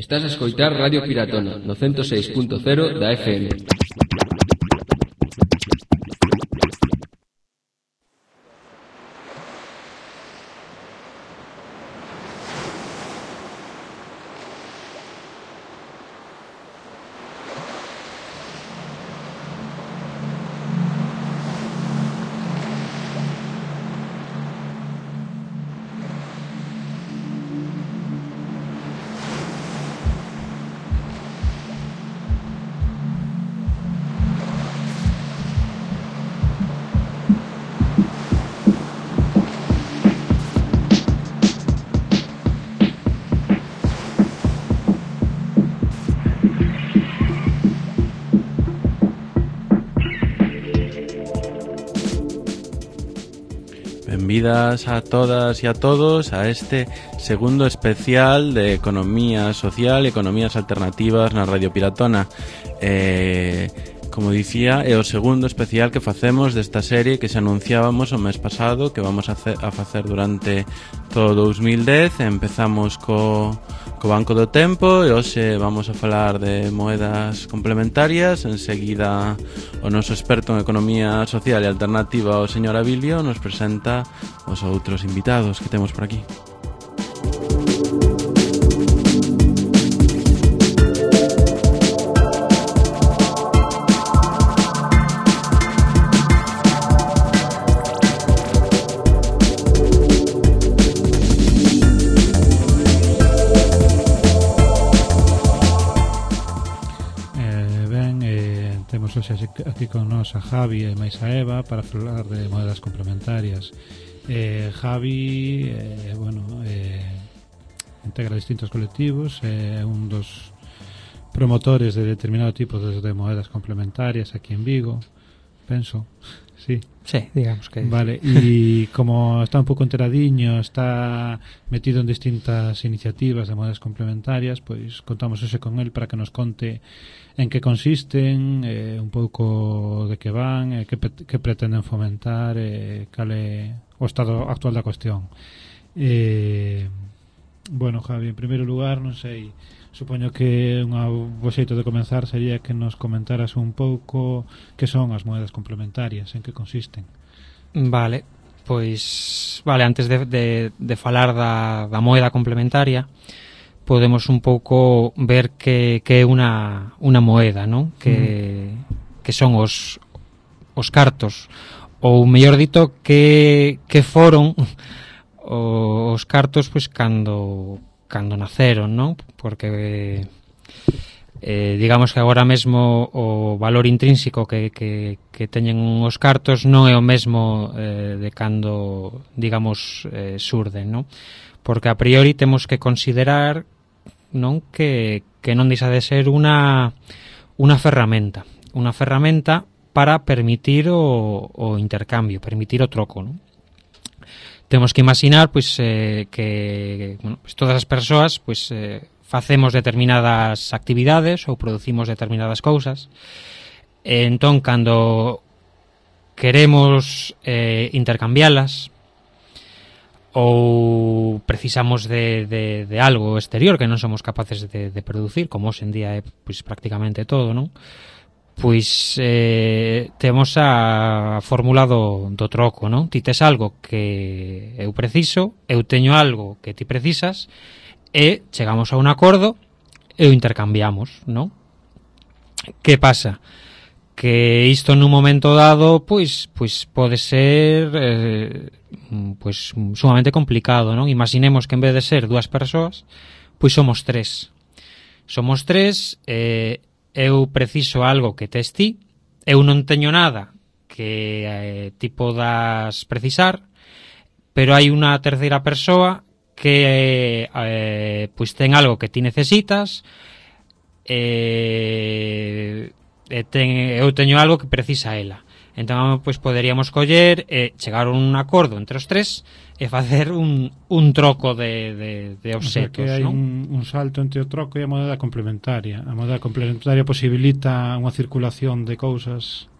Estás a escoitar Radio Piratona no 106.0 da FM. Benvidas a todas e a todos a este segundo especial de Economía Social e Economías Alternativas na Radio Piratona. Como dicía, é o segundo especial que facemos desta serie que se anunciábamos o mes pasado, que vamos a facer durante todo 2010. Empezamos co Banco do Tempo e hoxe vamos a falar de moedas complementarias. Enseguida o noso experto en Economía Social e Alternativa, o señor Abilio, nos presenta os outros invitados que temos por aquí. Aquí con nos a Javi e máis a Eva para falar de moedas complementarias. Javi integra distintos colectivos, é un dos promotores de determinado tipo de moedas complementarias aquí en Vigo, penso. Sí, digamos que vale, e como está un pouco enteradiño, está metido en distintas iniciativas de moedas complementarias, pois contamos hoxe con el para que nos conte en que consisten, un pouco de que van, que pretenden fomentar, cal é o estado actual da cuestión. Bueno, Javi, en primeiro lugar, non sei, supoño que un bo xeito de comenzar sería que nos comentaras un pouco que son as moedas complementarias, en que consisten. Vale, pois antes de falar da moeda complementaria, podemos un pouco ver que é unha moeda, non? Que son os cartos, ou mellor dito que foron os cartos pois cando naceron, non? Porque digamos que agora mesmo o valor intrínseco que teñen os cartos non é o mesmo de cando, digamos, surden, non? Porque a priori temos que considerar, non, que non deixa de ser unha ferramenta para permitir o intercambio, permitir o troco, non? Temos que imaginar pois que pues, todas as persoas pois facemos determinadas actividades ou producimos determinadas cousas. Entón, cando queremos intercambialas ou precisamos de algo exterior que non somos capaces de producir, como hoxe en día é pois prácticamente todo, non? Pois temos a fórmula do troco, non? Ti tes algo que eu preciso, eu teño algo que ti precisas e chegamos a un acordo e o intercambiamos, non? Que pasa? Que isto nun momento dado pois pode ser pois sumamente complicado, non? Imaginemos que en vez de ser dúas persoas, pois somos tres. Somos tres, eu preciso algo que tes ti, eu non teño nada que ti podas precisar, pero hai unha terceira persoa que pois ten algo que ti necesitas, eu teño algo que precisa ela. Entón, pois poderíamos coller e chegar a un acordo entre os tres e facer un troco de obxetos, o sea, que hai un salto entre o troco e a moeda complementaria. A moeda complementaria posibilita unha circulación de cousas.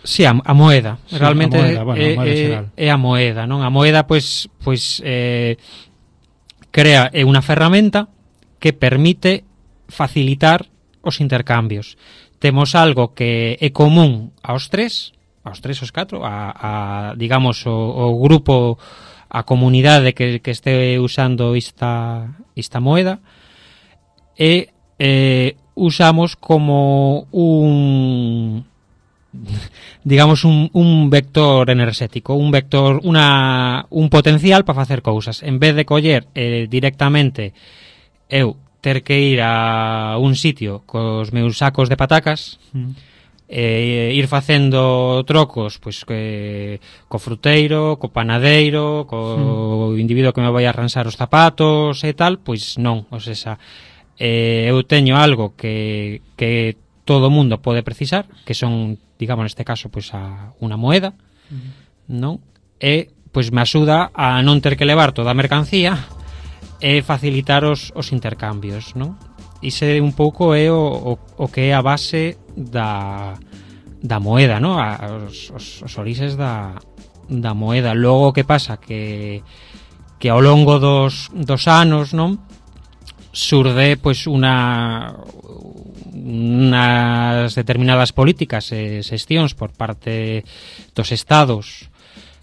Sí, a moeda. Sí, realmente a moeda, é a moeda, non? A moeda pois crea unha ferramenta que permite facilitar os intercambios. Temos algo que é común aos catro, digamos, o grupo, a comunidade que este usando esta moeda, e usamos como un vector enerxético, un potencial para facer cousas. En vez de coller directamente eu ter que ir a un sitio cos meus sacos de patacas, ir facendo trocos pois co fruteiro, co panadeiro, co individuo que me vai a arranxar os zapatos e tal, pois non, ou seja, eu teño algo que todo o mundo pode precisar, que son, digamos, neste caso, pois unha moeda, non? E pois me axuda a non ter que levar toda a mercancía e facilitar os intercambios, non? Iso un pouco é o que é a base da moeda, non? Os orixes da moeda. Logo, o que pasa que ao longo dos anos, non, surde pois unas determinadas políticas e xestións por parte dos estados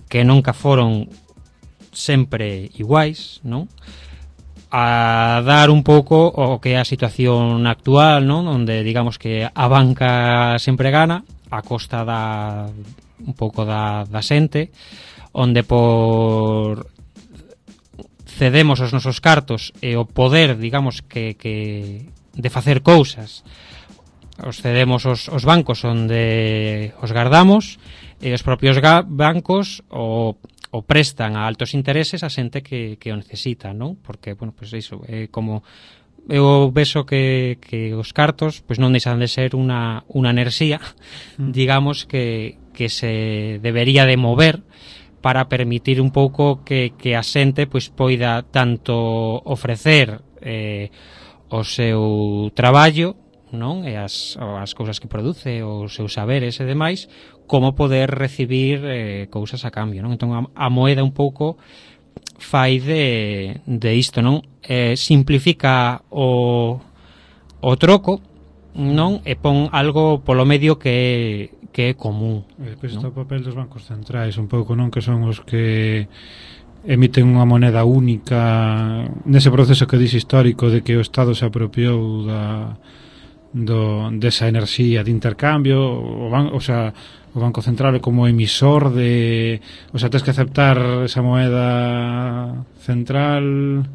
que nunca foron sempre iguais, non? A dar un pouco o que é a situación actual, non? Onde digamos que a banca sempre gana a costa un pouco da xente, onde por cedemos os nosos cartos e o poder, digamos, que de facer cousas os cedemos os bancos onde os guardamos, e os propios bancos o prestan a altos intereses a xente que o necesita, non? Porque, bueno, pois iso, como eu vexo que os cartos pois non deixan de ser unha enerxía, digamos, que se debería de mover para permitir un pouco que a xente pois poida tanto ofrecer o seu traballo, non? E as cousas que produce, os seus saberes e demais, como poder recibir cousas a cambio, non? Entón a moeda un pouco fai de isto, non? Simplifica o troco, non? E pon algo polo medio que é común. Depois está o papel dos bancos centrais un pouco, non? Que son os que emiten unha moneda única nese proceso que dixe histórico de que o Estado se apropiou desa enerxía de intercambio. O Banco Central é como emisor o sea, tens que aceptar esa moeda central,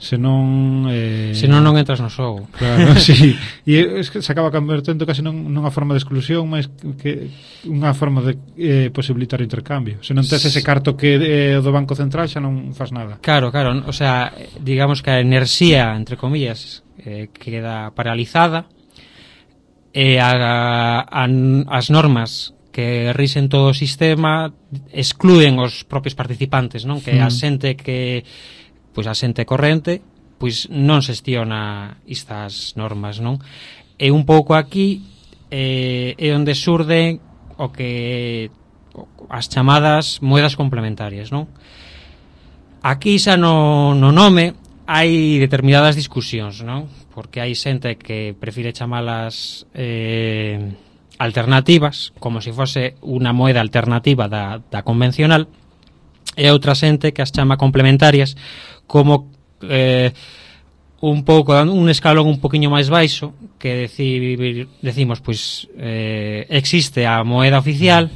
senón non entras no xogo. Claro, sí. E es que se acaba convertendo casi nunha forma de exclusión, máis que unha forma de posibilitar o intercambio. Se non tes ese carto que é do Banco Central, xa non faz nada. Claro, o sea, digamos que a enerxía, entre comillas, queda paralizada, e as normas que rixen todo o sistema exclúen os propios participantes, non? Que a xente pois a xente corrente pois non xestiona estas normas, non? E un pouco aquí é onde xurde o que as chamadas moedas complementarias, non? Aquí xa no nome hai determinadas discusións, non? Porque hai xente que prefire chamalas alternativas, como se fose unha moeda alternativa da convencional, e outra xente que as chama complementarias, como un pouco un escalón un poquinho máis baixo, que decimos, pois existe a moeda oficial,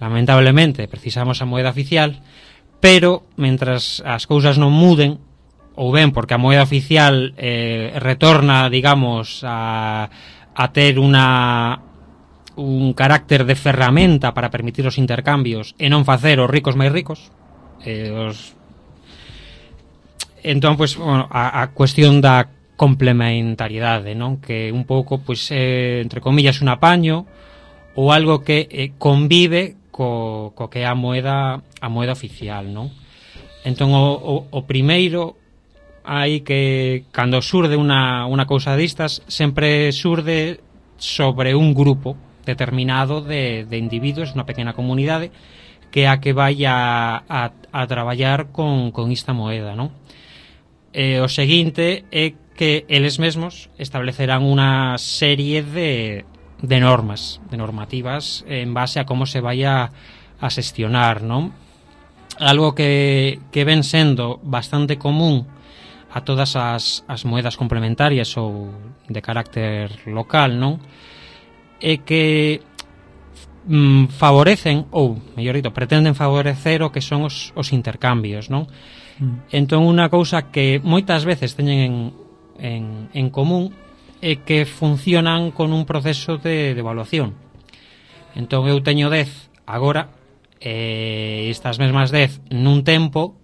lamentablemente precisamos a moeda oficial, pero mentras as cousas non muden, ou ben porque a moeda oficial retorna, digamos, a ter un carácter de ferramenta para permitir os intercambios e non facer os ricos máis ricos, entón, pois, bueno, a cuestión da complementariedade, non? Que un pouco, pois, entre comillas, un apaño ou algo que convive co que é a moeda oficial, non? Entón, o primeiro, hai que, cando xurde unha cousa distas, sempre xurde sobre un grupo determinado de individuos, unha pequena comunidade, que é a que vai a traballar con esta moeda, non? O seguinte é que eles mesmos establecerán unha serie de normativas en base a como se vaya a xestionar, non? Algo que ven sendo bastante común a todas as moedas complementarias ou de carácter local, non? É que favorecen, ou mellor dito, pretenden favorecer o que son os intercambios, non? Entón, unha cousa que moitas veces teñen en común é que funcionan con un proceso de evaluación. Entón, eu teño 10 agora, estas mesmas 10 nun tempo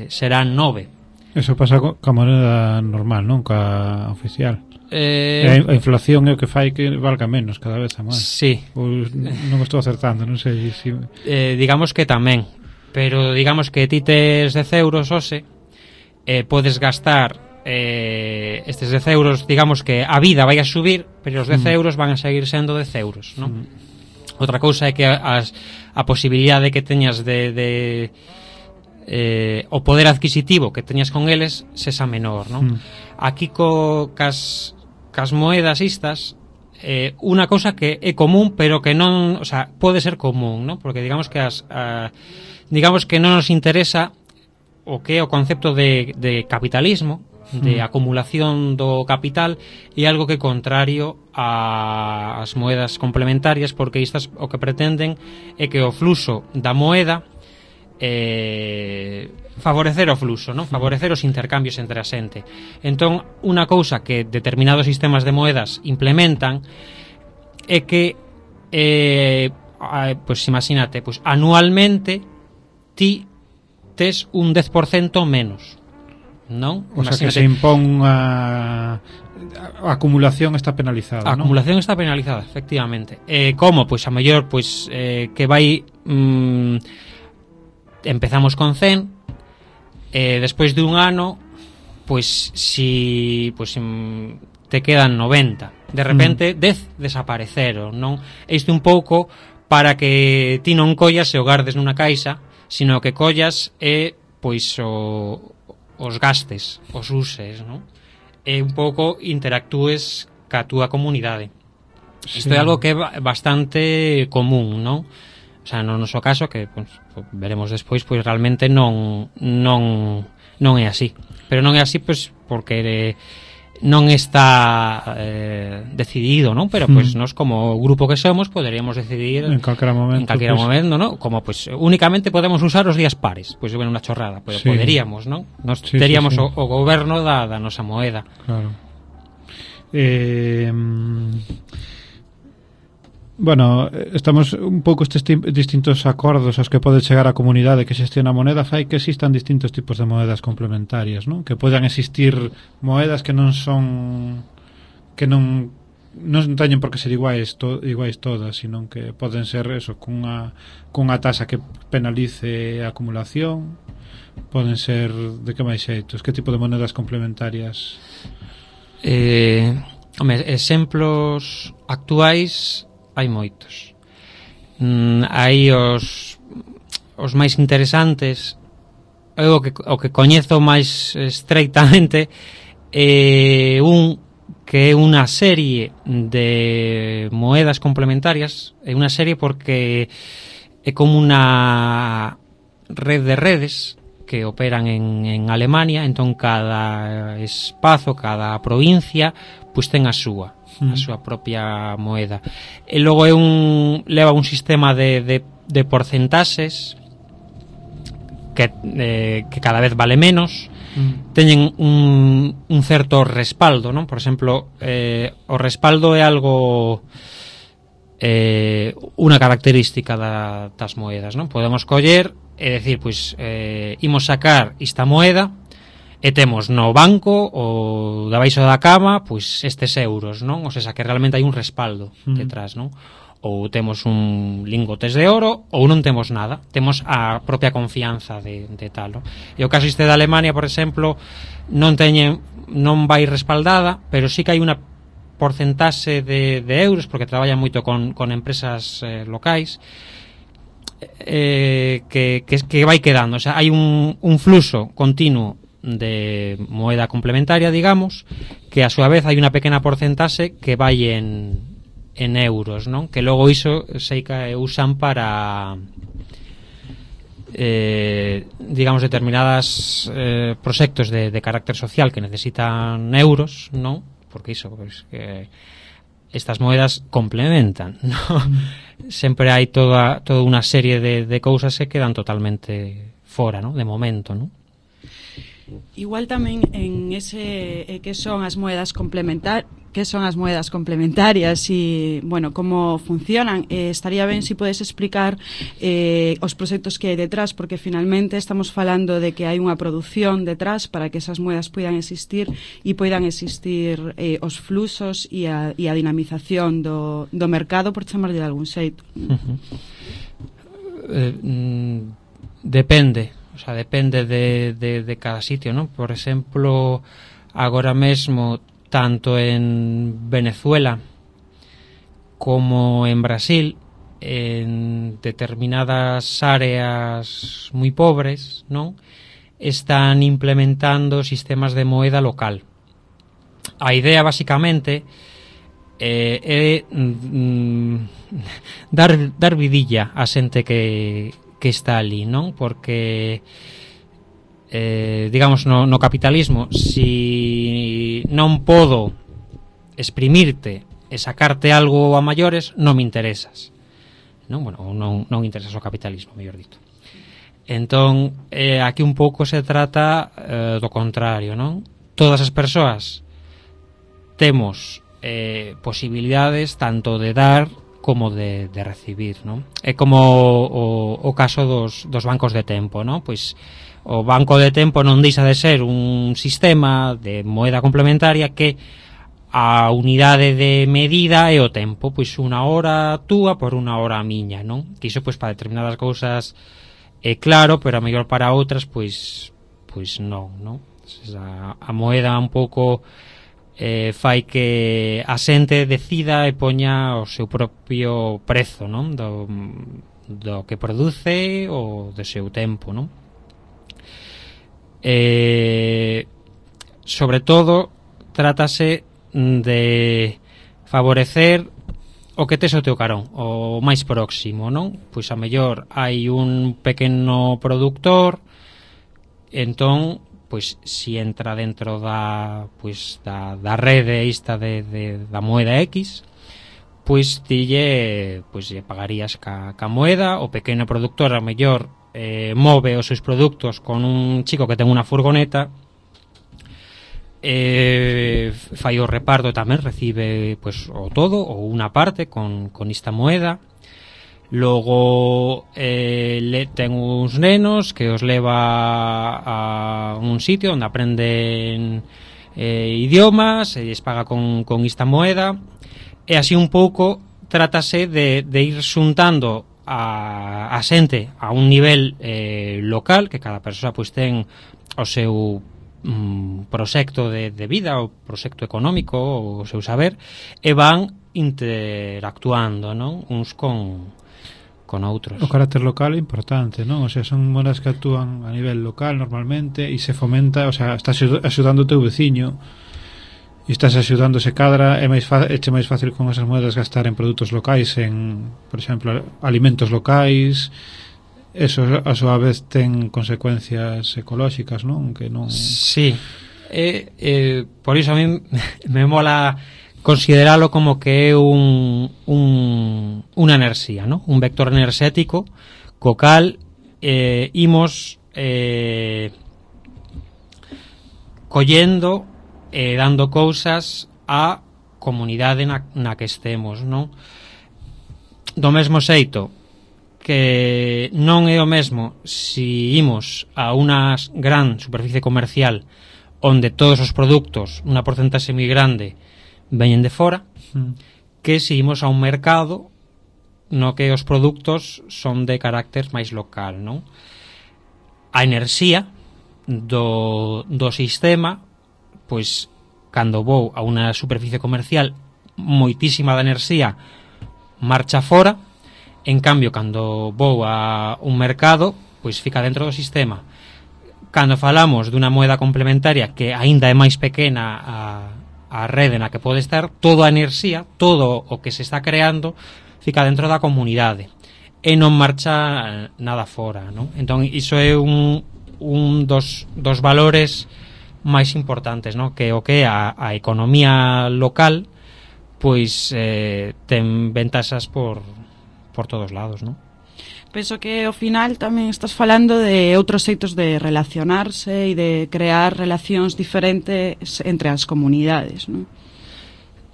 serán 9. Eso pasa ca moneda normal, non? Ca oficial. A inflación é o que fai que valga menos cada vez a máis. Sí. Non estou acertando, non sei se... digamos que tamén. Pero digamos que ti tes 10 euros hoxe, podes gastar estes 10 euros, digamos que a vida vai a subir, pero os 10 euros van a seguir sendo 10 euros, non? Outra cousa é que a posibilidade que teñas de o poder adquisitivo que teñas con eles sexa menor, non? Aquí cas moedas estas, unha cousa que é común, pero que non, o sea, pode ser común, non? Porque digamos que digamos que non nos interesa o que é o concepto de capitalismo, de acumulación do capital, e algo que é contrario ás moedas complementarias, porque estas o que pretenden é que o fluxo da moeda favorecer o fluxo, non? Favorecer os intercambios entre a xente. Entón, unha cousa que determinados sistemas de moedas implementan é que pois imagínate, pois anualmente ti tes un 10% menos, non? O sea, que se impón a acumulación está penalizada, a acumulación está penalizada, efectivamente. Como? Pois a mellor pois que vai empezamos con 100, despois de un ano pois si te quedan 90, de repente 10 desapareceron, non? Isto un pouco para que ti non collas e o gardes nunha caixa, sino que collas e pois os gastes, os uses, non? E un pouco interactúes ca túa comunidade. Isto é algo que é bastante común, non? O sea, no noso caso, que pues, veremos despois, pois realmente non é así. Pero non é así pois porque non está decidido, non? Pero pois nós como grupo que somos poderíamos decidir en calquera momento, non? Como pois únicamente podemos usar os días pares, pois bueno, unha chorrada, pero poderíamos, non? Nos teríamos o goberno da nosa moeda. Claro. Bueno, estamos un pouco estes distintos acordos aos que pode chegar a comunidade que xestiona a moneda, fai que existan distintos tipos de moedas complementarias, non? Que podan existir moedas que non son non teñen por que ser iguais todas, sino que poden ser eso, cunha tasa que penalice a acumulación, poden ser de que máis xeitos, que tipo de moedas complementarias? Exemplos actuais hai moitos. Hai os máis interesantes, o que coñezo máis estreitamente é un que é unha serie de moedas complementarias. É unha serie porque é como unha red de redes que operan en Alemania. Entón cada espazo, cada provincia pois ten a súa propia moeda, e logo leva un sistema de porcentaxes que cada vez vale menos. Teñen un certo respaldo, non? Por exemplo, o respaldo é algo unha característica das moedas, non? Podemos coller e decir, pois imos sacar esta moeda e temos no banco ou debaixo da cama pois estes euros, non? O sea, que realmente hai un respaldo detrás, non? Ou temos un lingotes de oro ou non temos nada, temos a propia confianza de tal, non? E o caso este de Alemania, por exemplo, non vai respaldada, pero sí que hai unha porcentaxe de euros, porque traballan moito con empresas locais, que vai quedando. O sea, hai un fluxo continuo de moeda complementaria, digamos, que a súa vez hai unha pequena porcentaxe que vai en euros, non? Que logo iso sei que usan para digamos determinadas proxectos de carácter social que necesitan euros, non? Porque iso, pues, que estas moedas complementan, non? Sempre hai toda unha serie de cousas que quedan totalmente fora, non? De momento, non? Igual tamén en ese que son as moedas complementarias e, bueno, como funcionan, estaría ben se podes explicar os proxectos que hai detrás, porque finalmente estamos falando de que hai unha produción detrás para que esas moedas poidan existir e poidan existir os fluxos e a dinamización do mercado, por chamarlle de algún xeito. Depende. O sea, depende de cada sitio, ¿no? Por exemplo, agora mesmo, tanto en Venezuela como en Brasil, en determinadas áreas moi pobres, ¿no? Están implementando sistemas de moeda local. A idea, basicamente, é dar vidilla a xente que está ali, non? Porque digamos no capitalismo, si non podo exprimirte e sacarte algo a maiores, non me interesas, non? Bueno, non interesas o capitalismo, mellor dito. Entón, aquí un pouco se trata do contrario, non? Todas as persoas temos posibilidades tanto de dar como de recibir, non? É como o caso dos bancos de tempo, non? Pois o banco de tempo non deixa de ser un sistema de moeda complementaria que a unidade de medida é o tempo, pois unha hora túa por unha hora miña, non? Que iso pois para determinadas cousas é claro, pero a mellor para outras pois non, non? A moeda un pouco fai que a xente decida e poña o seu propio prezo, non? Do que produce ou do seu tempo, non? Sobre todo trátase de favorecer o que tes o teu carón, o máis próximo, non? Pois a mellor hai un pequeno produtor, entón pois si entra dentro da rede esta da moeda X, pois lle pagarías ca moeda. O pequeno produtor a mellor move os seus produtos con un chico que ten unha furgoneta, fai o reparto tamén, recibe pois o todo ou unha parte con esta moeda. Logo ten uns nenos que os leva a un sitio onde aprenden idiomas e lles paga con esta moeda, e así un pouco trátase de ir xuntando a xente a un nivel local, que cada persoa pois ten o seu proxecto de vida, o proxecto económico, o seu saber, e van interactuando, non? Uns con outros. O carácter local é importante, non? O sea, son moedas que actúan a nivel local normalmente e se fomenta, o sea, estás axudando o teu veciño e estás axudando, se cadra, é máis fácil con esas moedas gastar en produtos locais, en, por exemplo, alimentos locais. Eso a súa vez ten consecuencias ecolóxicas, non? Que non... Sí. Por iso a mí me mola consideralo como que é unha enerxía, ¿no? Un vector enerxético co cal imos collendo e dando cousas á comunidade na que estemos, non? Do mesmo xeito que non é o mesmo si imos a unha gran superficie comercial onde todos os produtos, unha porcentaxe moi grande, veñen de fora, que se imos a un mercado no que os produtos son de carácter máis local, non? A enerxía do sistema, pois, cando vou a unha superficie comercial, moitísima da enerxía marcha fora. En cambio, cando vou a un mercado, pois fica dentro do sistema. cando falamos dunha moeda complementaria que aínda é máis pequena a rede na que pode estar, toda a enerxía, todo o que se está creando fica dentro da comunidade e non marcha nada fora, non? Entón iso é un dos valores máis importantes, non? Que o que é a economía local pois ten ventaxas por todos lados, non? Penso que ao final tamén estás falando de outros xeitos de relacionarse e de crear relacións diferentes entre as comunidades, non?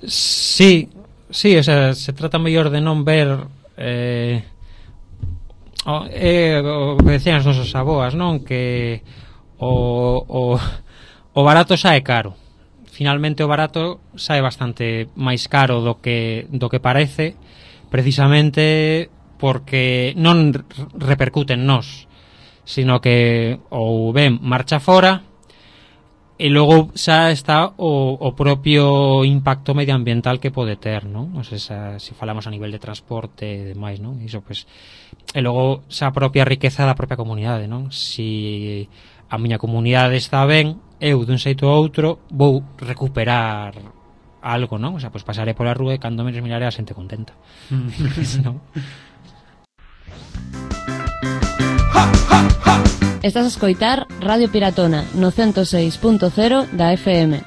Sí, o sea, se trata mellor de non ver o que decían as nosas aboas, non? Que o barato sae caro. Finalmente o barato sae bastante máis caro do que parece, precisamente porque non repercute en nós, sino que ou ben marcha fora e logo xa está o propio impacto medioambiental que pode ter, non? O sea, se falamos a nivel de transporte e demais, non? Iso, pues, e logo xa a propia riqueza da propia comunidade, non? Si a miña comunidade está ben, eu dun xeito ou outro vou recuperar algo, non? O sea, pues pasaré pola rúa e cando menos miraré a xente contenta. Non? Estás a escoitar Radio Piratona no 106.0 da FM.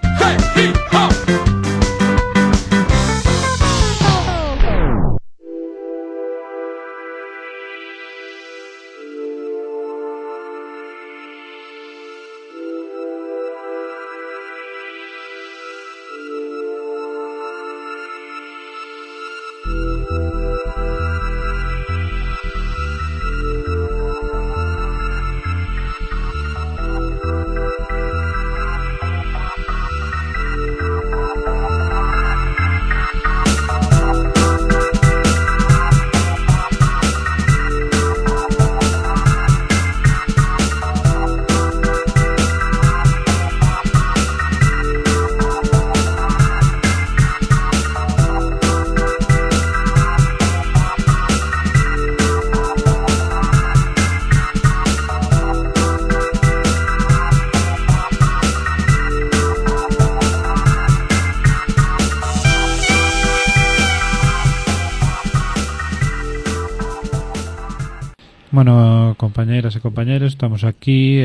Bueno, compañeras e compañeros, estamos aquí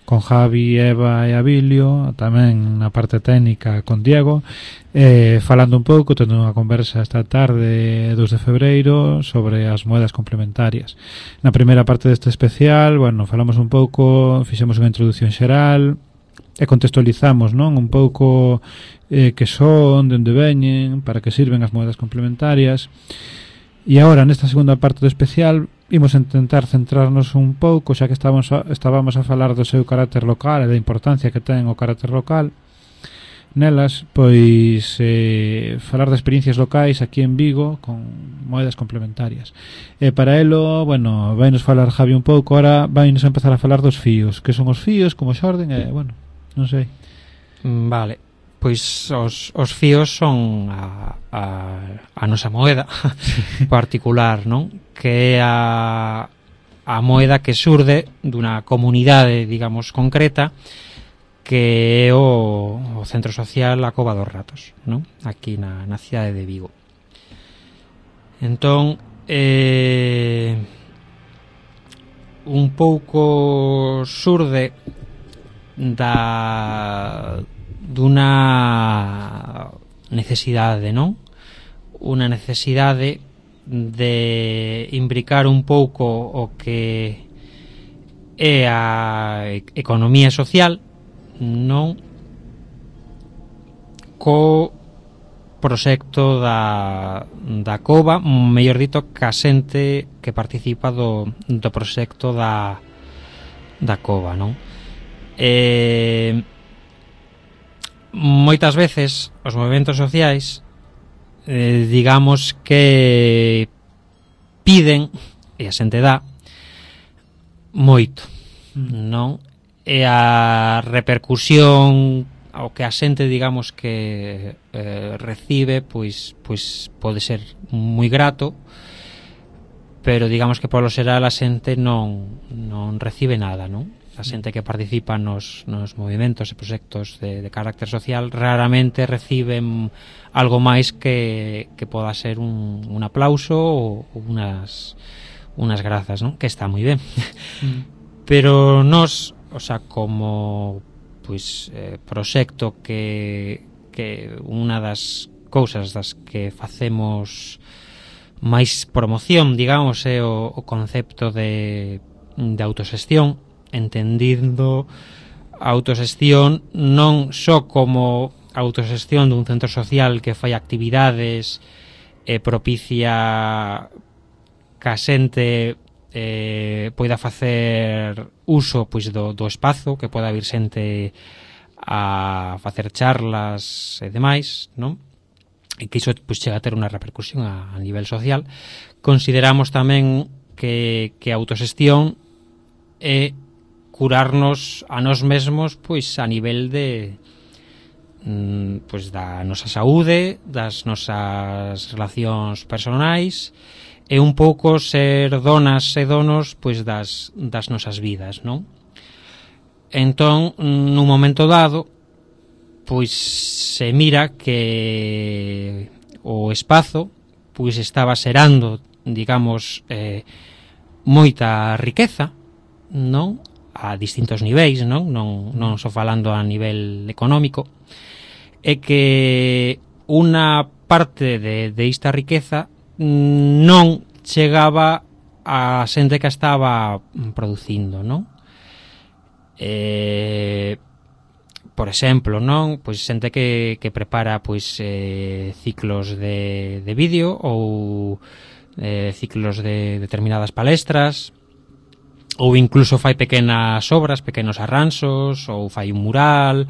con Javi, Eva e Abilio, tamén na parte técnica con Diego, falando un pouco, tendo unha conversa esta tarde 2 de febreiro sobre as moedas complementarias. Na primeira parte deste especial, bueno, falamos un pouco, fixemos unha introducción xeral e contextualizamos, non, un pouco que son, de onde veñen, para que sirven as moedas complementarias. E agora, nesta segunda parte do especial, imos intentar centrarnos un pouco, xa que estábamos a falar do seu carácter local e da importancia que ten o carácter local nelas, pois falar de experiencias locais aquí en Vigo con moedas complementarias. E para elo, bueno, vai nos falar Javi un pouco, ahora vai nos empezar a falar dos fíos, que son os fíos, como xorden, e, bueno, non sei. Vale, pois os fíos son a nosa moeda particular, non? Que é a moeda que surde dunha comunidade, digamos, concreta, que é o centro social A Cova dos Ratos, non? Aquí na cidade de Vigo. Entón, un pouco surde dunha necesidade, non? Unha necesidade de imbricar un pouco o que é a economía social, non, co proxecto da cova, mellor dito, ca xente que participa do proxecto da cova, non? Moitas veces os movementos sociais digamos que piden, e a xente dá moito, non? E a repercusión ao que a xente, digamos, que recibe, pois pode ser moi grato, pero digamos que polo xeral a xente non recibe nada, non? a xente que participa nos movimentos e proxectos de carácter social raramente reciben algo máis que poda ser un aplauso ou unas grazas, non? Que está moi ben. Pero nos, o sea, como pois proxecto que unha das cousas das que facemos máis promoción, digamos, é o concepto de autoxestión, entendindo a autoxestión non só como autoxestión dun centro social que fai actividades e propicia que a xente poida facer uso pois do espazo, que poida vir xente a facer charlas e demais, non? E que iso pois chega a ter unha repercusión a nivel social. Consideramos tamén que a autoxestión é curarnos a nós mesmos pois a nivel de pois da nosa saúde, das nosas relacións personais e un pouco ser donas e donos pois das nosas vidas, non? Entón, nun momento dado, pois se mira que o espazo pois estaba xerando, digamos, moita riqueza, non? A distintos niveis, non só falando a nivel económico, e que unha parte de esta riqueza non chegaba a xente que estaba producindo, non? Por exemplo, non? Pois xente que prepara pois ciclos de vídeo ou ciclos de determinadas palestras, ou incluso fai pequenas obras, pequenos arranxos, ou fai un mural,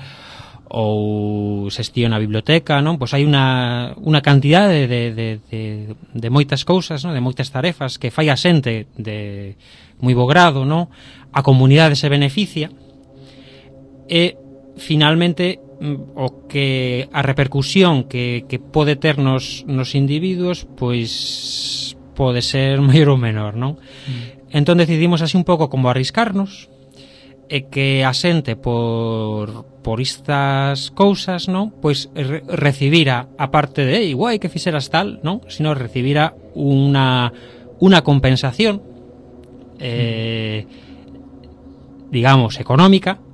ou xestiona a biblioteca, non? Pois hai unha cantidade de moitas cousas, non? De moitas tarefas que fai a xente de moi bo grado, non? A comunidade se beneficia e finalmente a repercusión que pode ter nos individuos pois pode ser maior ou menor, non? Entón decidimos así un pouco como arriscarnos e que a xente por estas cousas, non? Pois recibira, a parte de igual que fixeras tal, non? Sino recibira unha compensación digamos económica,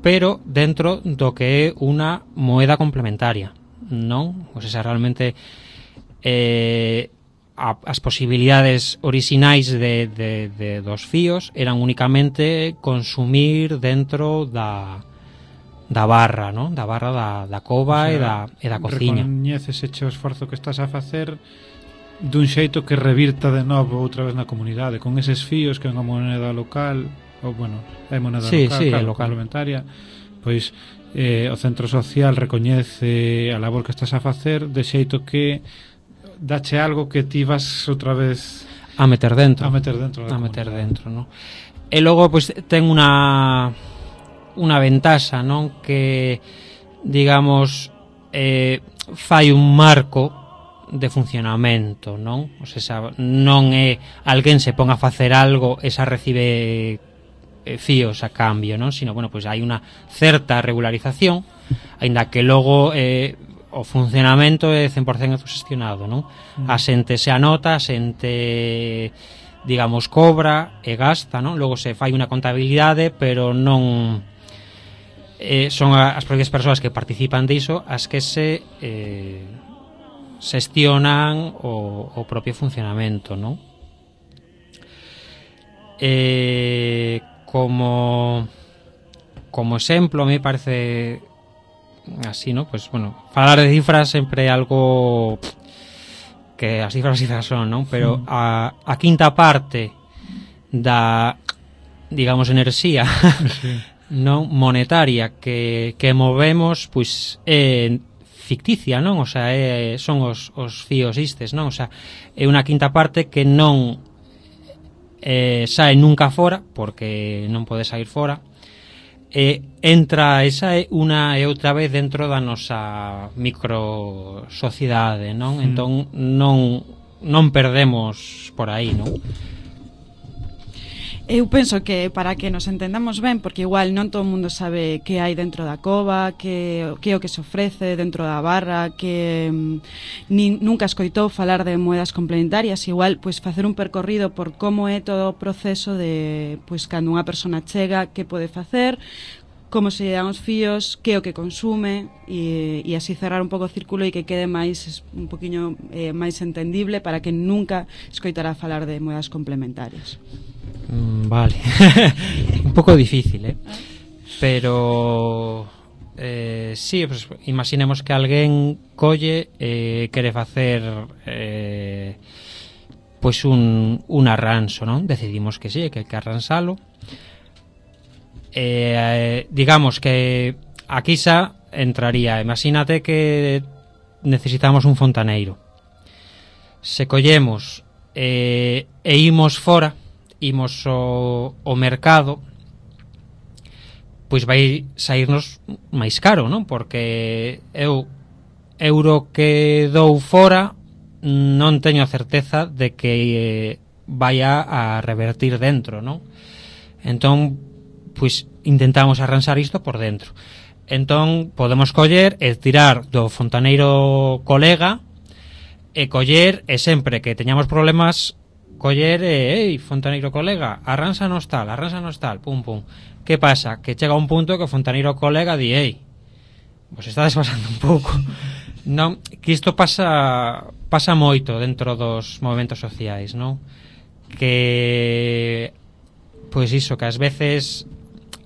pero dentro do que é unha moeda complementaria, non? O sea, realmente as posibilidades orixinais dos fíos eran únicamente consumir dentro da barra, non? Da barra da cova, o sea, e da cociña. Recoñeces o esforzo que estás a facer dun xeito que revirta de novo outra vez na comunidade, con eses fíos que é unha moneda local, ou bueno, é moneda local, complementaria, pois o centro social recoñece a labor que estás a facer de xeito que dache algo que ti vas outra vez a meter dentro, non? E logo pois ten unha ventaxa, non? Que digamos fai un marco de funcionamento, non? O sea, non é alguén se pon a facer algo e xa recibe fíos a cambio, non? Sino, bueno, pois hai unha certa regularización, aínda que logo o funcionamento é 100% autoxestionado, non? A xente se anota, a xente, digamos, cobra e gasta, non? Logo se fai unha contabilidade, pero non son as propias persoas que participan diso as que se xestionan o propio funcionamento, non? Como exemplo, me parece así, ¿no? Pues bueno, falar de cifras sempre é algo que as cifras son, ¿no? Pero a quinta parte da, digamos, enerxía non monetaria que movemos, pois é ficticia, non? O sea, son os fíos istes, non? O sea, é unha quinta parte que non sae nunca fora, porque non pode sair fora, entra e sae unha e outra vez dentro da nosa microsociedade, non? Entón non perdemos por aí, non? Eu penso que para que nos entendamos ben, porque igual non todo o mundo sabe que hai dentro da cova, que é o que se ofrece dentro da barra, que nunca escoitou falar de moedas complementarias, igual pois facer un percorrido por como é todo o proceso de pois cando unha persona chega, que pode facer, como se dan os fíos, que é o que consume e así cerrar un pouco o círculo e que quede máis un poquinho máis entendible para que nunca escoitará falar de moedas complementarias. Vale. Un pouco difícil, pero sí, pues, imaginemos que alguén colle quere facer pois un arranso, non? Decidimos que sí, que hai que arransalo. Digamos que aquí xa entraría, imagínate que necesitamos un fontaneiro, se collemos e imos fora, imos ao mercado, pois vai saírnos máis caro, non? Porque eu euro que dou fora non teño a certeza de que vaya a revertir dentro, non? Entón pois intentamos arranxar isto por dentro. Entón podemos coller e tirar do fontaneiro colega e coller, e sempre que teñamos problemas coller fontaneiro colega, arránsanos tal, pum pum. Que pasa? Que chega un punto que o fontaneiro colega di, vos estades pasando un pouco. Non, que isto pasa moito dentro dos movementos sociais, non? Que pois iso, que ás veces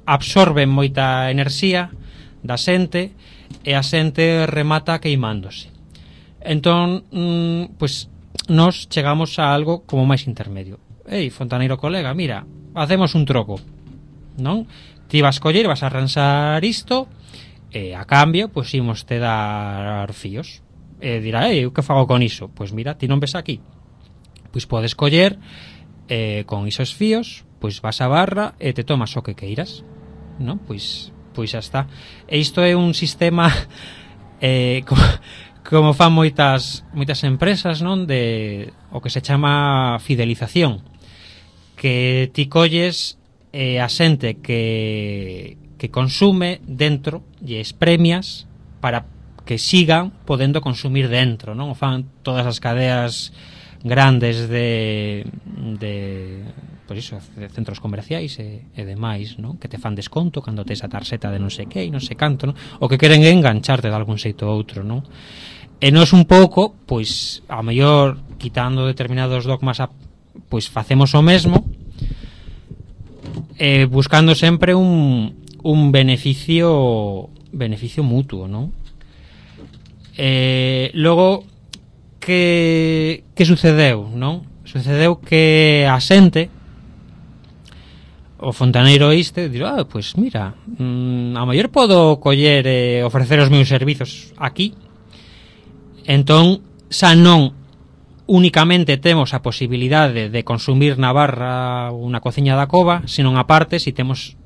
absorben moita enerxía da xente e a xente remata queimándose. Entón, pois nos chegamos a algo como máis intermedio. Fontaneiro colega, mira, hacemos un troco, non? Ti vas coller, vas a arranxar isto e a cambio, pois imos te dar fíos. E dirá, eu que fago con iso? Pois mira, ti non ves aquí. Pois podes coller con isos fíos, pois vas a barra e te tomas o que queiras, non? Pois xa está. E isto é un sistema como fan moitas empresas, non, de o que se chama fidelización, que ti colles a xente que consume dentro e es premias para que sigan podendo consumir dentro, non? O fan todas as cadeas grandes de por iso, de centros comerciais e demais, non? Que te fan desconto cando tes a tarxeta de non sei que e non sei canto, non? O que queren é engancharte de algún xeito ou outro, non? E nos un pouco, pois, a mellor quitando determinados dogmas, pois facemos o mesmo, buscando sempre un beneficio mutuo, non? Logo, que sucedeu, non? Sucedeu que a xente, o fontaneiro este, dirá, pois mira, a mellor podo coller e ofrecer os meus servizos aquí. Entón, xa non únicamente temos a posibilidade de consumir na barra ou na cociña da cova, senón aparte, se temos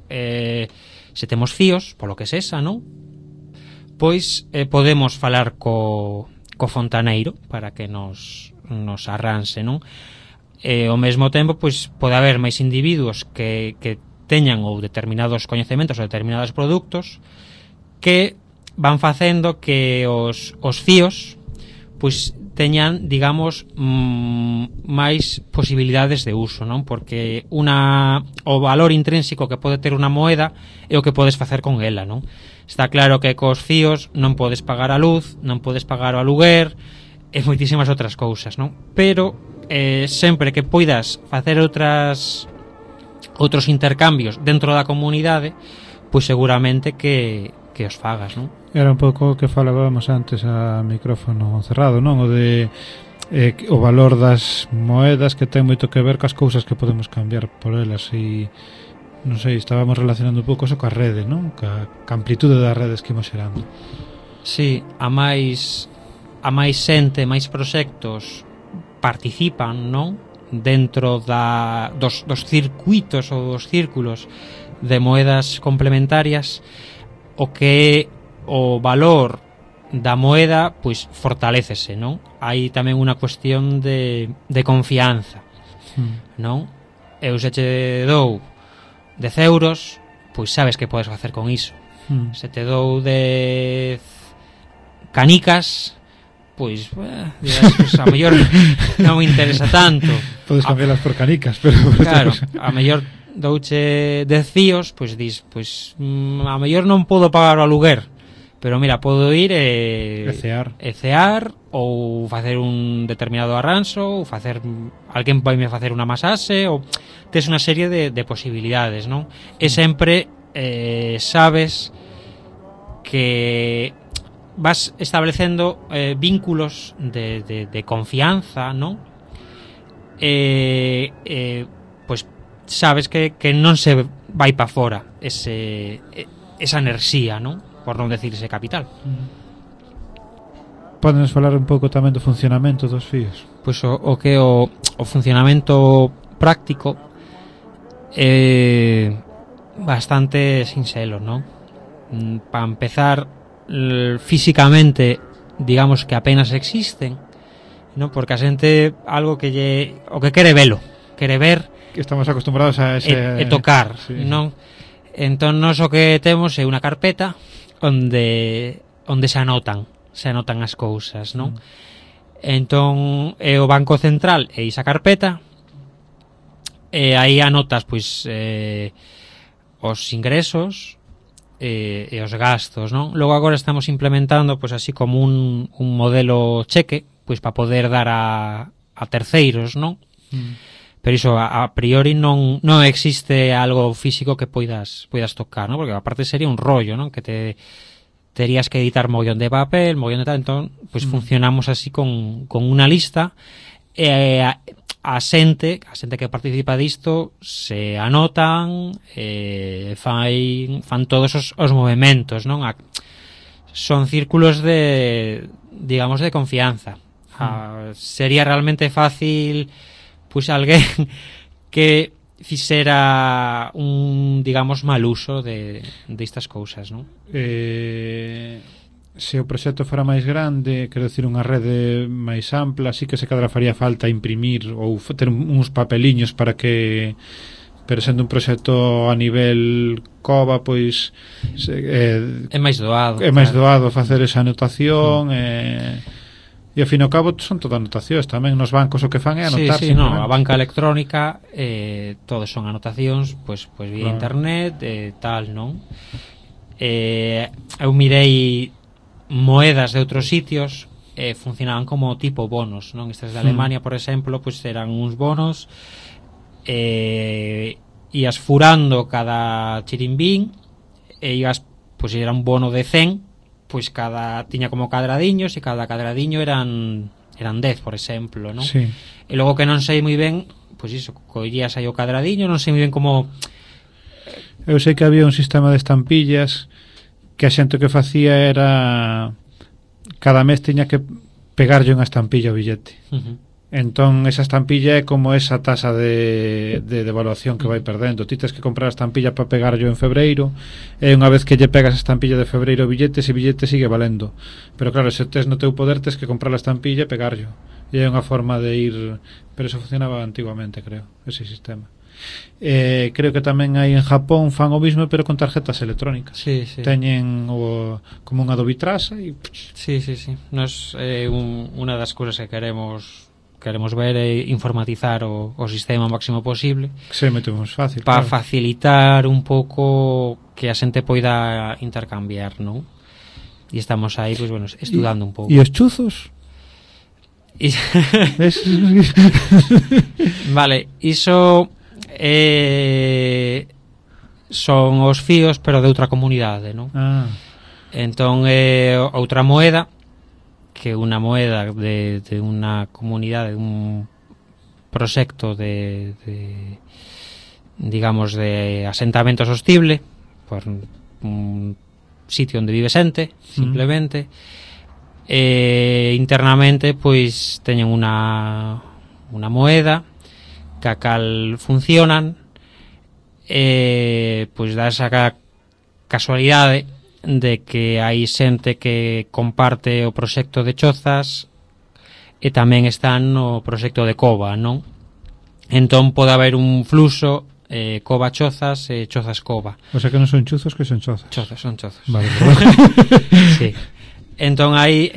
fíos, polo que sexa, non? Pois podemos falar co fontaneiro para que nos arranse, non? Ao mesmo tempo, pois pode haber máis individuos que teñan ou determinados coñecementos ou determinados produtos que van facendo que os fíos pois teñan, digamos, máis posibilidades de uso, non? Porque o valor intrínseco que pode ter unha moeda é o que podes facer con ela, non? Está claro que cos fíos non podes pagar a luz, non podes pagar o aluguer e moitísimas outras cousas, non? Pero sempre que poidas facer outros intercambios dentro da comunidade, pois seguramente que os fagas, non? Era un pouco o que falábamos antes a micrófono cerrado, non? O de o valor das moedas que ten moito que ver cas cousas que podemos cambiar por elas e non sei, estábamos relacionando un pouco eso coa rede, non? Ca amplitude das redes que imos xerando. Sí, a máis xente, máis proxectos participan, non? Dentro dos circuitos ou dos círculos de moedas complementarias, o que o valor da moeda pois fortalécese, non? Hai tamén unha cuestión de confianza, non? eu se che dou 10 euros, pois sabes que podes facer con iso. Se te dou 10 canicas, pois dirás, pues, a mellor non me interesa tanto. Podes cambiarlas por canicas, pero claro, a mellor douche 10 fíos, pois dis, pois a mellor non podo pagar o aluguer, pero mira, podo ir ecear ou facer un determinado arranxo, ou facer alguén vai me facer unha masaxe, ou tes unha serie de posibilidades, non? E sempre sabes que vas establecendo vínculos de confianza, non? Pois sabes que non se vai para fora esa enerxía, non? Por non decir ese capital. Podenos falar un pouco tamén do funcionamento dos fíos? Pois o funcionamento práctico é bastante sinxelo, non? Para empezar, físicamente, digamos que apenas existen, non? Porque a xente algo que o que quere velo, quere ver, que estamos acostumbrados a ese tocar, sí. Non? Entón nós o que temos é unha carpeta onde se anotan as cousas, non? Entón é o Banco Central e esa carpeta, e aí anotas pois os ingresos e os gastos, non? Logo agora estamos implementando pois así como un modelo cheque, pois para poder dar a terceiros, non? Pero iso a priori non existe algo físico que poidas tocar, non? Porque aparte sería un rollo, non? Que terías que editar mogollón de papel, mogollón de tal, entón pois funcionamos así con unha lista, e a xente que participa disto se anotan, fan todos os movementos, non? Son círculos digamos de confianza. Sería realmente fácil pois alguén que fixera un, digamos, mal uso de estas cousas, non? Se o proxecto fora máis grande, quero dicir, unha rede máis ampla, así que se cadra faría falta imprimir ou ter uns papeliños para que, pero sendo un proxecto a nivel cova, pois é máis doado. É máis doado facer esa anotación, e ao fin e ao cabo son todas anotacións tamén nos bancos, o que fan é anotar. Sí, no, a banca electrónica todos son anotacións pois vía internet tal, non? Eu mirei moedas de outros sitios, funcionaban como tipo bonos, non? Estas de Alemania, por exemplo, pois eran uns bonos, ias furando cada chirimbín e ias, pois era un bono de 100, pois tiña como cadradiños, e cada cadradiño eran 10, por exemplo, non? Sí. E logo que non sei moi ben, pois iso, collías aí o cadradiño, non sei moi ben como... Eu sei que había un sistema de estampillas que a xente que facía era cada mes tiña que pegarlle unha estampilla ao billete. Entón esa estampilla é como esa tasa de devaluación que vai perdendo. Ti tes que comprar a estampilla para pegarlo en febreiro, e unha vez que lle pegas a estampilla de febreiro ao billete, ese billete sigue valendo. Pero claro, se tes no teu poder, tes que comprar a estampilla e pegarlo. E é unha forma de ir... Pero eso funcionaba antiguamente, creo, ese sistema. Creo que tamén hai en Japón fan o mismo, pero con tarjetas electrónicas. Sí. Teñen como unha dobitrasa e... Sí. Nos unha das cousas que queremos ver é informatizar o sistema o máximo posible, que se mete máis fácil para claro, facilitar un pouco que a xente poida intercambiar, non? E estamos aí, pois, bueno, estudando un pouco. E os chuzos? Vale, iso son os fíos, pero de outra comunidade, non? Entón outra moeda, que unha moeda de unha comunidade, de un proxecto de digamos de asentamento sostible, por un sitio onde vive xente, simplemente. Internamente pois teñen unha moeda que a cal funcionan, pois dá esa casualidade de que hai xente que comparte o proxecto de Chozas e tamén están no proxecto de Cova, non? Entón pode haber un fluxo cova chozas e chozas cova. O sea que non son chuzos, que son chozas. Chozas, son chozas. Vale, Sí. Entón aí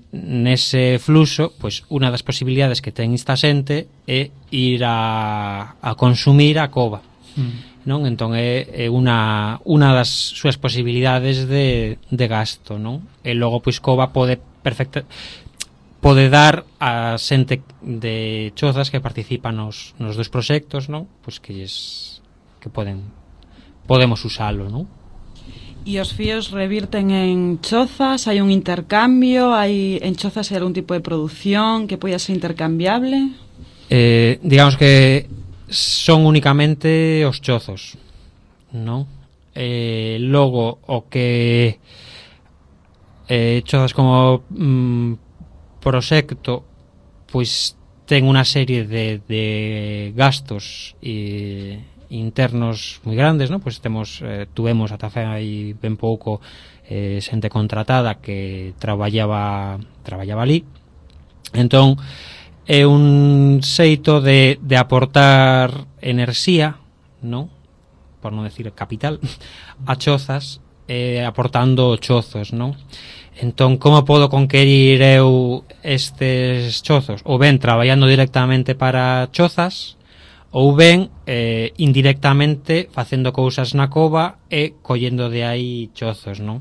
nese fluxo, pois unha das posibilidades que ten esta xente é ir a consumir a cova. Non? Entón é unha das súas posibilidades de gasto, non? E logo pois cova pode dar a xente de chozas que participan nos dos proxectos, non? Pois que podemos usalo, non? E os fíos revirten en chozas, hai un intercambio, hai en chozas hai algún tipo de produción que poida ser intercambiable? Digamos que son únicamente os chozos, non? Logo o que chozas como proxecto pois ten unha serie de gastos internos moi grandes, non? Pois tuvemos ata fai ben pouco xente contratada que traballaba ali. Entón é un xeito de aportar enerxía, non? Por non decir capital, a chozas, aportando chozos, non? Entón, como podo conquerir eu estes chozos? Ou ben traballando directamente para chozas, ou ben indirectamente facendo cousas na cova e collendo de aí chozos, non?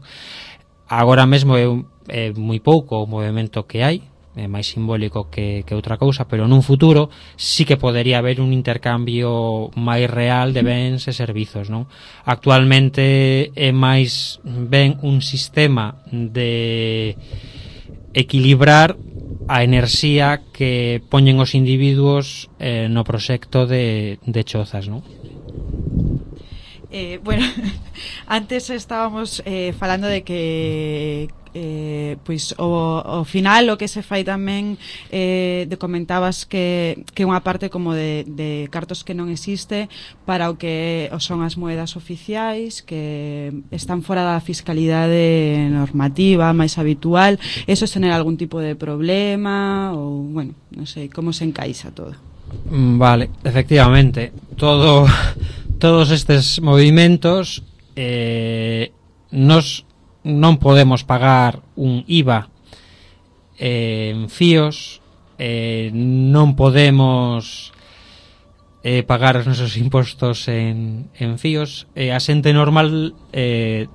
Agora mesmo é moi pouco o movimento que hai, é máis simbólico que outra cousa, pero nun futuro sí que podería haber un intercambio máis real de bens e servizos, non? Actualmente é máis ben un sistema de equilibrar a enerxía que poñen os individuos no proxecto de chozas, non? Bueno, antes estábamos falando de que pois o final o que se fai tamén comentabas que unha parte como de cartos que non existe para o que son as moedas oficiais que están fora da fiscalidade normativa máis habitual. Eso tener algún tipo de problema ou, bueno, non sei, como se encaixa todo? Vale, efectivamente todos estes movimentos non podemos pagar un IVA en fíos, non podemos pagar os nosos impostos en fíos, a xente normal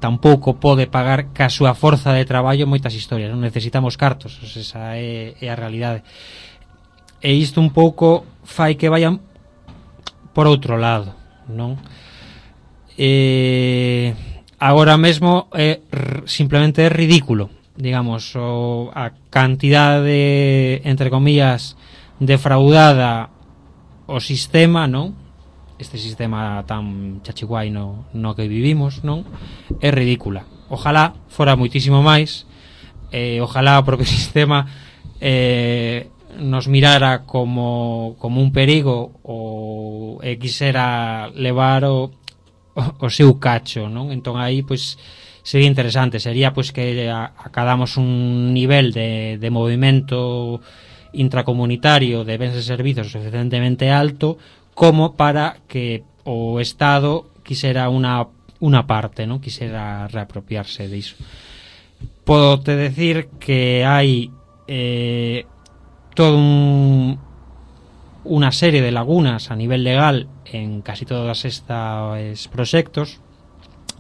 tampouco pode pagar ca súa forza de traballo moitas historias, non necesitamos cartos, esa é a realidade. E isto un pouco fai que vayan por outro lado, non? Agora mesmo simplemente é ridículo, digamos, a cantidade, entre comillas, defraudada o sistema, non? Este sistema tan chachiguai no que vivimos, non? É ridícula. Ojalá fora moitísimo máis, ojalá o propio sistema nos mirara como un perigo ou quixera levar o seu cacho, non? Entón aí pois sería interesante, sería pois que acadamos un nivel de movimento intracomunitario de bens e servizos suficientemente alto como para que o Estado quixera unha parte, non? Quixera reapropiarse diso. Podo te decir que hai todo unha serie de lagunas a nivel legal en casi todos estes proxectos,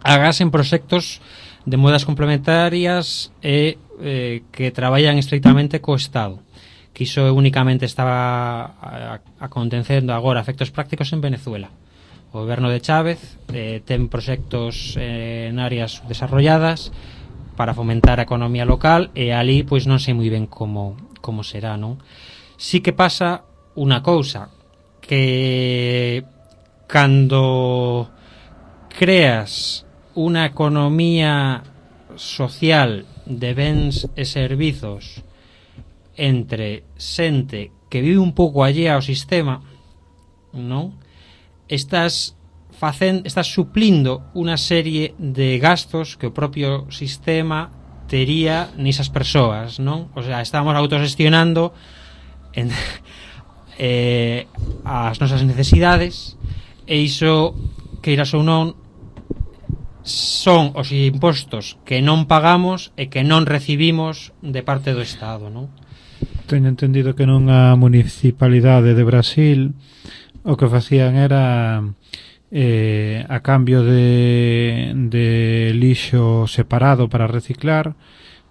agás en proxectos de moedas complementarias e que traballan estrictamente co Estado, que iso únicamente estaba acontecendo agora efectos prácticos en Venezuela. O goberno de Chávez ten proxectos en áreas desarrolladas para fomentar a economía local e ali pois non sei moi ben como será, non? Sí que pasa unha cousa, que cando creas unha economía social de bens e servizos entre xente que vive un pouco allea ao sistema, non? Estás suplindo unha serie de gastos que o propio sistema tería nesas persoas, non? O sea, estamos autogestionando as nosas necesidades, e iso, queiras ou non, son os impostos que non pagamos e que non recibimos de parte do Estado, non? Teño entendido que nunha municipalidade de Brasil o que facían era a cambio de lixo separado para reciclar,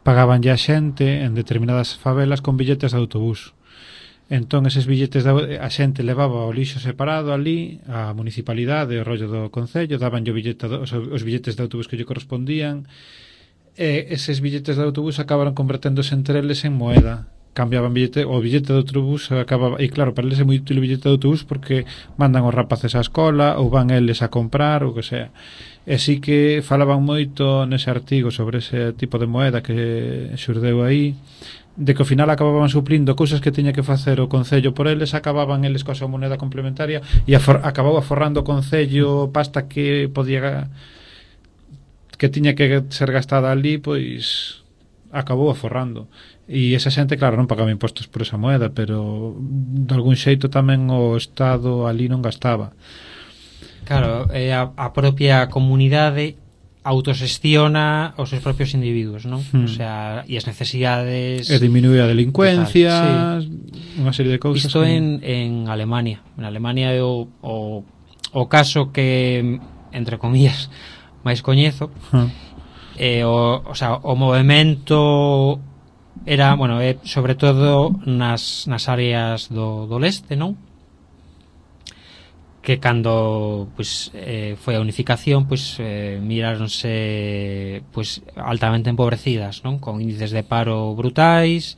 pagaban ya xente en determinadas favelas con billetes de autobús. Entón eses billetes a xente levaba o lixo separado ali, a municipalidade, o rollo do concello, daban os billetes de autobús que lle correspondían, e eses billetes de autobús acabaron converténdose entre eles en moeda. Cambiaban o billete de autobús acababa, e claro, para eles é moi útil o billete de autobús porque mandan os rapaces á escola ou van eles a comprar ou que sea. E sí que falaban moito nese artigo sobre ese tipo de moeda que xurdeu aí, de que ao final acababan suplindo cousas que tiña que facer o concello por eles, acababan eles coa súa moneda complementaria e acabou aforrando o concello pasta que tiña que ser gastada ali, pois acabou aforrando. E esa xente, claro, non pagaba impostos por esa moeda, pero de algún xeito tamén o Estado ali non gastaba. Claro, a propia comunidade autosestiona os seus propios individuos, non? O sea, e as necesidades... E diminúe a delincuencia, sí, unha serie de cousas. Isto en Alemania. En Alemania é o caso que, entre comillas, máis coñezo. O sea, o movemento era, bueno, sobre todo nas áreas do leste, non? Que cando foi a unificación, miráronse altamente empobrecidas, non? Con índices de paro brutais,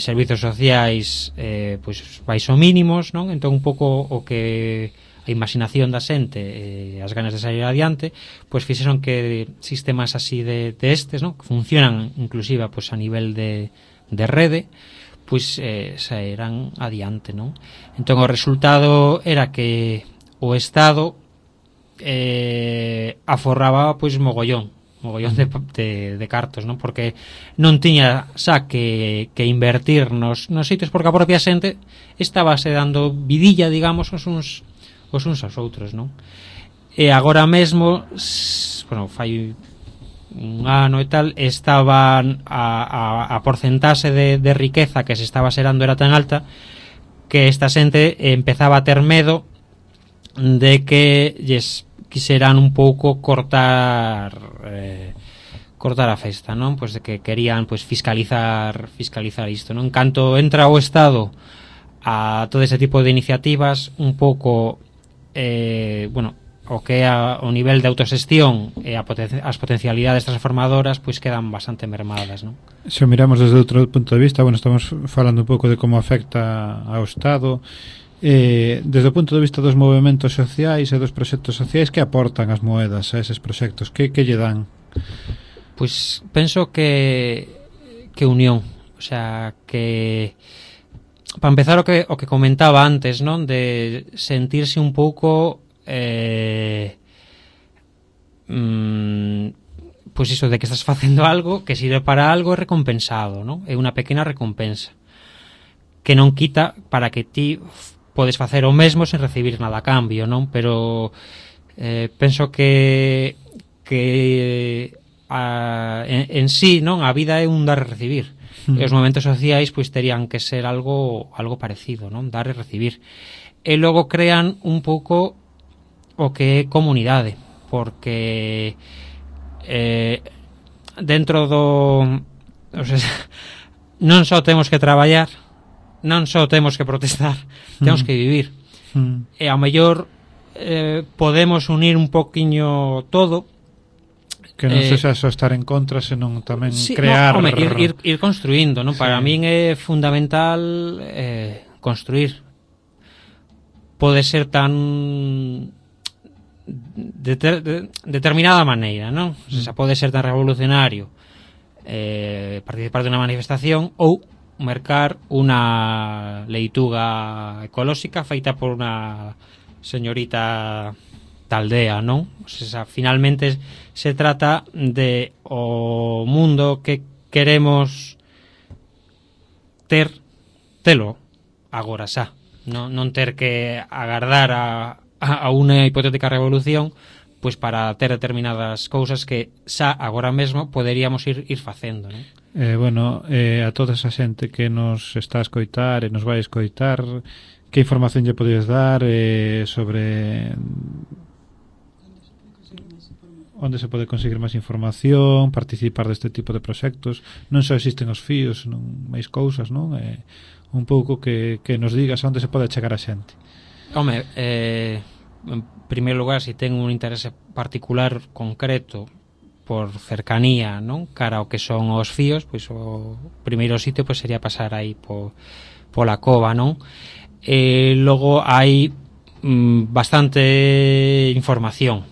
servizos sociais baixo mínimos, non? Entón un pouco o que a imaginación da xente, as ganas de sair adiante, fixeron que sistemas así de estes, non? Que funcionan inclusive a nivel de rede, sairán adiante, non? Entón o resultado era que o Estado aforraba mogollón de cartos, non? Porque non tiña xa que invertir nos sitios, porque a propia xente estaba se dando vidilla, digamos, os uns aos outros, non? E agora mesmo, fai un ano e tal, estaban a porcentaxe de riqueza que se estaba xerando era tan alta que esta xente empezaba a ter medo de que lles quixeran un pouco cortar a festa, non? De que querían fiscalizar isto, non? En canto entra o Estado a todo ese tipo de iniciativas, un pouco o que é o nivel de autoxestión e as potencialidades transformadoras quedan bastante mermadas, non? Se miramos desde outro punto de vista, estamos falando un pouco de como afecta ao Estado, desde o punto de vista dos movementos sociais e dos proxectos sociais, que aportan as moedas a eses proxectos? Que lle dan? Penso que unión, o sea, que para empezar o que comentaba antes, non? De sentirse un pouco iso de que estás facendo algo que sirve para algo, é recompensado, non? É unha pequena recompensa que non quita para que ti podes facer o mesmo sen recibir nada a cambio, non? Pero penso que en sí, non? A vida é un dar e recibir. E os momentos sociais terían que ser algo parecido, non? Dar e recibir. E logo crean un pouco o que é comunidade, porque dentro non só temos que traballar, non só temos que protestar, temos que vivir. E ao mellor podemos unir un poquiño todo, que non sexa só estar en contra, senón tamén crear... ir construindo, non? Para min é fundamental construir. Pode ser tan determinada maneira, non? O sea, pode ser tan revolucionario participar de unha manifestación ou mercar unha leituga ecolóxica feita por unha señorita da aldea, non? O sea, finalmente se trata de o mundo que queremos telo agora xa, non ter que agardar a unha hipotética revolución pois para ter determinadas cousas que xa agora mesmo poderíamos ir facendo, non? Bueno, a toda esa xente que nos está a escoitar e nos vai a escoitar, que información lle podes dar sobre onde se pode conseguir máis información, participar deste tipo de proxectos? Non só existen os fíos, non máis cousas, non? Un pouco que nos digas onde se pode chegar a xente. Home, en primeiro lugar, se ten un interese particular concreto por cercanía, non? Cara ao que son os fíos, pois o primeiro sitio pois sería pasar aí pola cova, non? Logo hai bastante información.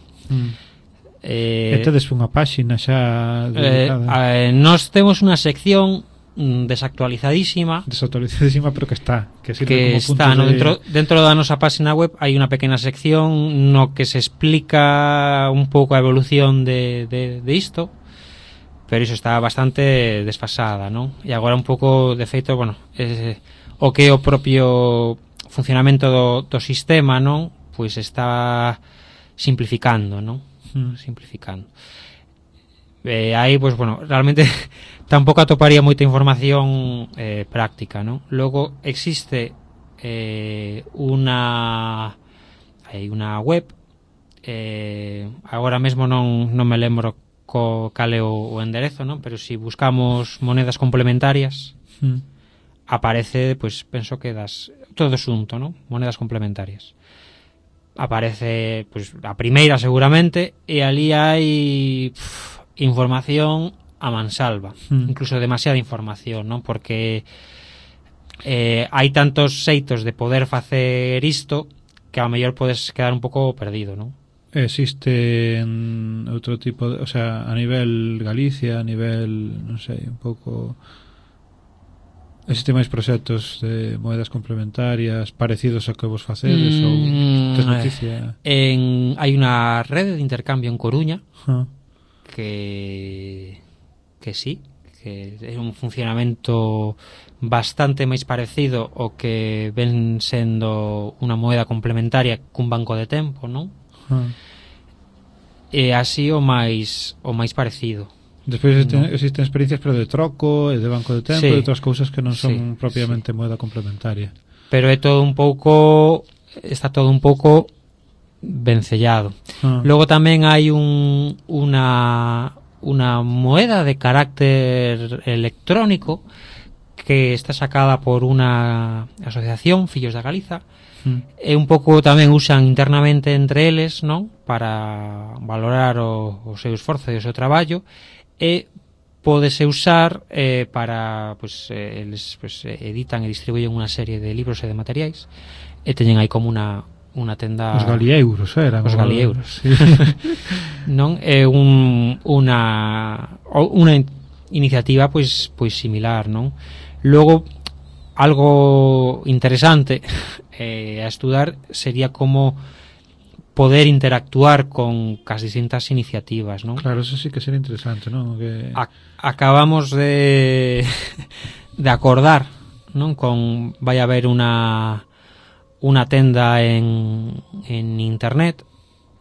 E tedes unha páxina xa dedicada? Nós temos unha sección desactualizadísima, pero que está, que como está, ¿no? Dentro da nosa página web hai unha pequena sección no que se explica un pouco a evolución de isto, pero iso está bastante desfasada, non? E agora un pouco, de feito, bueno, o que é o propio funcionamento do sistema, non? Pois está simplificando, non? Simplificando. Aí, pois, bueno, realmente tampouco atoparía moita información práctica, non? Logo existe unha web, agora mesmo non me lembro cal é o enderezo, non? Pero se buscamos monedas complementarias aparece, pois, penso que todo xunto, non? Monedas complementarias. Aparece, pois, a primeira seguramente, e ali hai información a mansalva, incluso demasiada información, non? Porque hai tantos xeitos de poder facer isto que ao mellor podes quedar un pouco perdido, non? Existe outro tipo de, o sea, a nivel Galicia, a nivel, non sei, un pouco, existe máis proxectos de moedas complementarias parecidos ao que vos facedes ou tes noticia? Hai unha rede de intercambio en Coruña que sí, que é un funcionamento bastante máis parecido ao que ven sendo unha moeda complementaria cun banco de tempo, non? E así o máis parecido. Despois existen experiencias pero de troco e de banco de tempo e outras cousas que non son propiamente moeda complementaria. Pero é todo un pouco, está todo un pouco vencellado. Logo tamén hai unha moeda de carácter electrónico que está sacada por unha asociación, Fillos da Galiza, e un pouco tamén usan internamente entre eles, non? Para valorar o seu esforzo e o seu traballo, e pódese usar para, pois, eles editan e distribuyen unha serie de libros e de materiais, e teñen aí como unha tenda. Os galieuros eran. Os galieuros. Sí. Non é unha iniciativa pois similar, non? Logo algo interesante a estudar sería como poder interactuar con as distintas iniciativas, non? Claro, eso sí que sería interesante, non? Que acabamos de acordar, non? Vai haber unha tenda en internet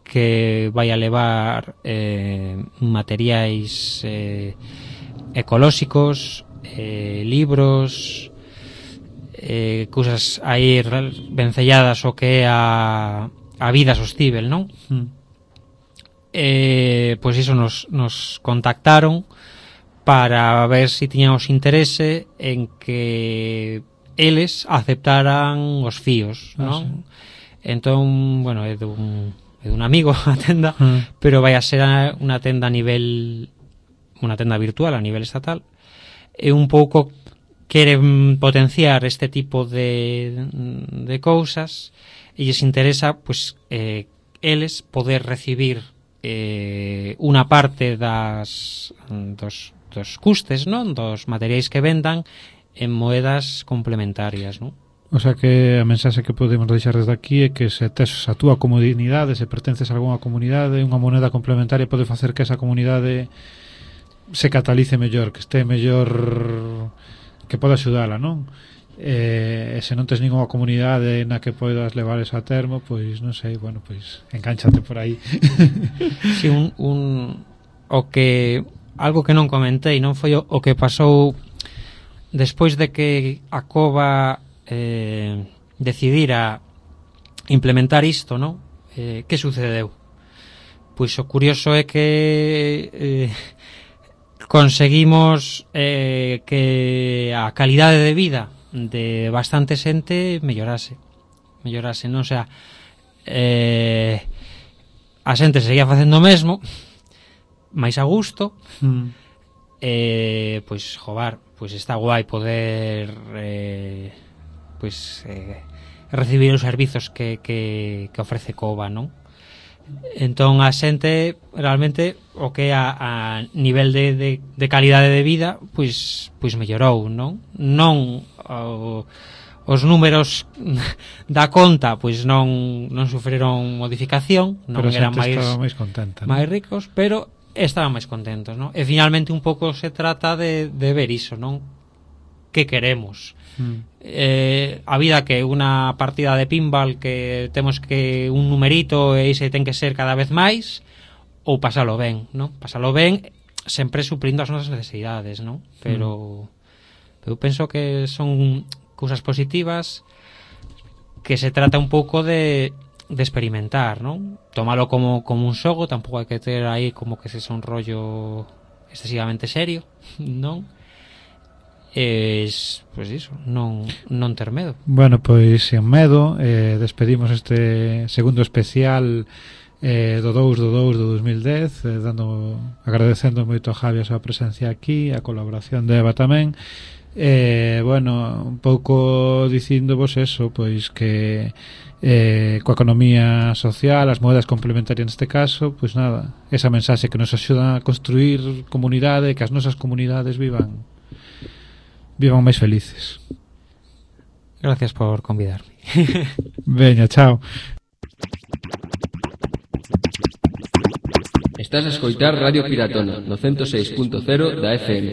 que vai a levar materiais ecolóxicos, libros, cousas aí vencelladas o que é a vida sostível, non? Pois iso nos contactaron para ver se tiñamos interese en que eles aceptaran os fíos, non? Entón, bueno, é dun amigo a tenda, pero vai a ser unha tenda virtual a nivel estatal, e un pouco queren potenciar este tipo de cousas, e lles interesa, pois, eles poder recibir unha parte dos custes, non? Dos materiais que vendan en moedas complementarias, non? O sea que a mensaxe que podemos deixar desde aquí é que se tes a túa comunidade, se pertences a algunha comunidade, unha moneda complementaria pode facer que esa comunidade se catalice mellor, que este mellor, que poda axudala, non? se non tes ninguna comunidade na que podas levar eso a termo, pois non sei, bueno, pois encánchate por aí. Si, algo que non comentei non foi o que pasou despois de que a Cova decidira implementar isto, non? Que sucedeu? Pois o curioso é que conseguimos que a calidade de vida de bastante xente mellorase, non? O sea, a xente seguía facendo o mesmo, máis a gusto, pois, jobar, pois está guai poder recibir os servizos que ofrece Cova, non? Entón a xente realmente o que a nivel de calidade de vida pois mellorou, non? Non os números da conta pois non sufriron modificación, non eran máis contenta, máis ricos, pero estaban máis contentos, non? E finalmente un pouco se trata de ver iso, non? Que queremos? A vida que unha partida de pinball que temos que un numerito e ese ten que ser cada vez máis, ou pasalo ben, non? Pasalo ben sempre suprindo as nosas necesidades, non? Pero eu penso que son cousas positivas, que se trata un pouco de experimentar, non? Tómalo como un xogo, tampouco hai que ter aí como que se son un rollo excesivamente serio, non? Pois iso, non ter medo. Bueno, pois sen medo, despedimos este segundo especial do 2 do 2010, agradecendo moito a Javi a súa presencia aquí, a colaboración de Eva tamén. Bueno, un pouco dicíndovos eso, pois que coa economía social, as moedas complementarias neste caso, pois nada, esa mensaxe que nos axuda a construir comunidade, que as nosas comunidades vivan máis felices. Gracias por convidarme. Veña, chao. Estás a escoitar Radio Piratona no 106.0 da FM.